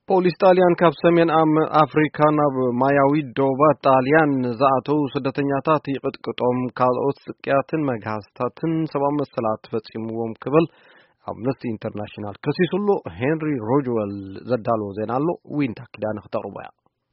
ፖሊስ ጣልያን ካብ ሰሜን ኣም-፣ ኣፍሪካ ናብ ማያዊ ዶባት ጣልያን ዝኣተው ስደተኛታት ይቕጥቅጦም፣ ካልኦት ስቅያትን መግሃስታትን ሰብኣዊ መሰላት ፈጺምዎም ክብል ኣምነስቲ ኢንተርናሽናል ከሲሱ ኣሎ። ሄንሪ ሮጅወል ዘዳለዎ ዜና ኣሎ፣ ዊንታ ኪዳነ ክተቕርቦ እያ።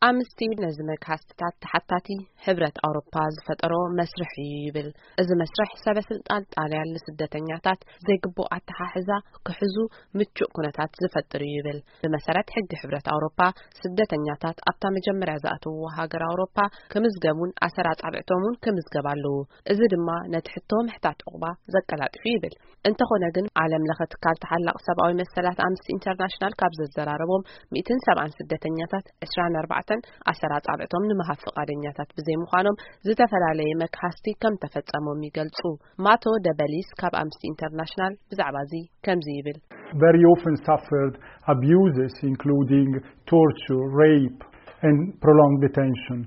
ኣምነስቲ ነዚ መግሃስትታት ተሓታቲ ሕብረት ኣውሮፓ ዝፈጠሮ መስርሕ እዩ ይብል። እዚ መስርሕ ሰበ ስልጣን ጣልያን ንስደተኛታት ዘይግቡእ ኣተሓሕዛ ክሕዙ ምቹእ ኩነታት ዝፈጥር እዩ ይብል። ብመሰረት ሕጊ ሕብረት ኣውሮፓ፣ ስደተኛታት ኣብታ መጀመርያ ዝኣተውዎ ሃገር ኣውሮፓ ክምዝገቡን ኣሰር ኣጻብዕቶምን ክምዝገብ ኣለዎ። እዚ ድማ ነቲ ሕቶ ምሕታት ዑቕባ ዘቀላጥፍ እዩ ይብል። እንተኾነ ግን፣ ዓለም ለኸ ትካል ተሓላቒ ሰብኣዊ መሰላት ኣምነስቲ ኢንተርናሽናል ካብ ዘዘራረቦም ሚእትን ሰብዓን ስደተኛታት፣ ዕስራን ኣርባዕተን ኣሰር ኣጻብዕቶም ንምሃብ ፍቓደኛታት ብዘይምዃኖም ዝተፈላለየ መግሃስቲ ከም ተፈጸሞም ይገልጹ። ማቶ ደበሊስ ካብ ኣምነስቲ ኢንተርናሽናል ብዛዕባ እዚ ከምዚ ይብል። Very often suffered abuses, including torture, rape, and prolonged detention.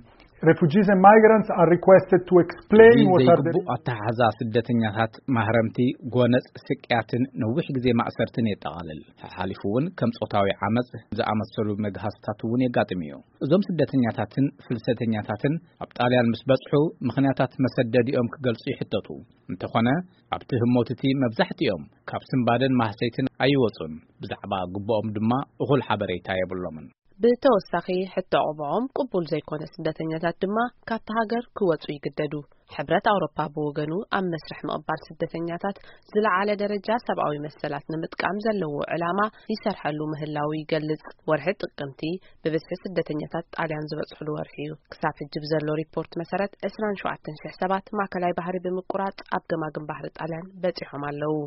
Refugees and migrants are requested to explain what are the ዘይግቡእ ኣተሓሕዛ ስደተኛታት፣ ማህረምቲ፣ ጎነጽ፣ ስቅያትን ነዊሕ ግዜ ማእሰርትን የጠቓልል። ሓሓሊፉ እውን ከም ጾታዊ ዓመጽ ዝኣመሰሉ መግሃስታት እውን የጋጥም እዩ። እዞም ስደተኛታትን ፍልሰተኛታትን ኣብ ጣልያን ምስ በጽሑ፣ ምኽንያታት መሰደዲኦም ክገልጹ ይሕተቱ። እንተኾነ፣ ኣብቲ ህሞት እቲ መብዛሕትኦም ካብ ስንባደን ማህሰይትን ኣይወጹን። ብዛዕባ ግቡኦም ድማ እኹል ሓበሬታ የብሎምን። ብተወሳኺ፣ ሕቶ ዑቕባኦም ቅቡል ዘይኮነ ስደተኛታት ድማ ካብቲ ሃገር ክወጹ ይግደዱ። ሕብረት ኣውሮፓ ብወገኑ፣ ኣብ መስርሕ ምቕባል ስደተኛታት ዝለዓለ ደረጃ ሰብኣዊ መሰላት ንምጥቃም ዘለዎ ዕላማ ይሰርሐሉ ምህላዉ ይገልጽ። ወርሒ ጥቅምቲ ብብዝሒ ስደተኛታት ጣልያን ዝበጽሕሉ ወርሒ እዩ። ክሳብ ሕጂ ብዘሎ ሪፖርት መሰረት፣ ዕስራን ሸውዓተን ሽሕ ሰባት ማእከላይ ባሕሪ ብምቁራጽ ኣብ ገማግም ባሕሪ ጣልያን በጺሖም ኣለዉ።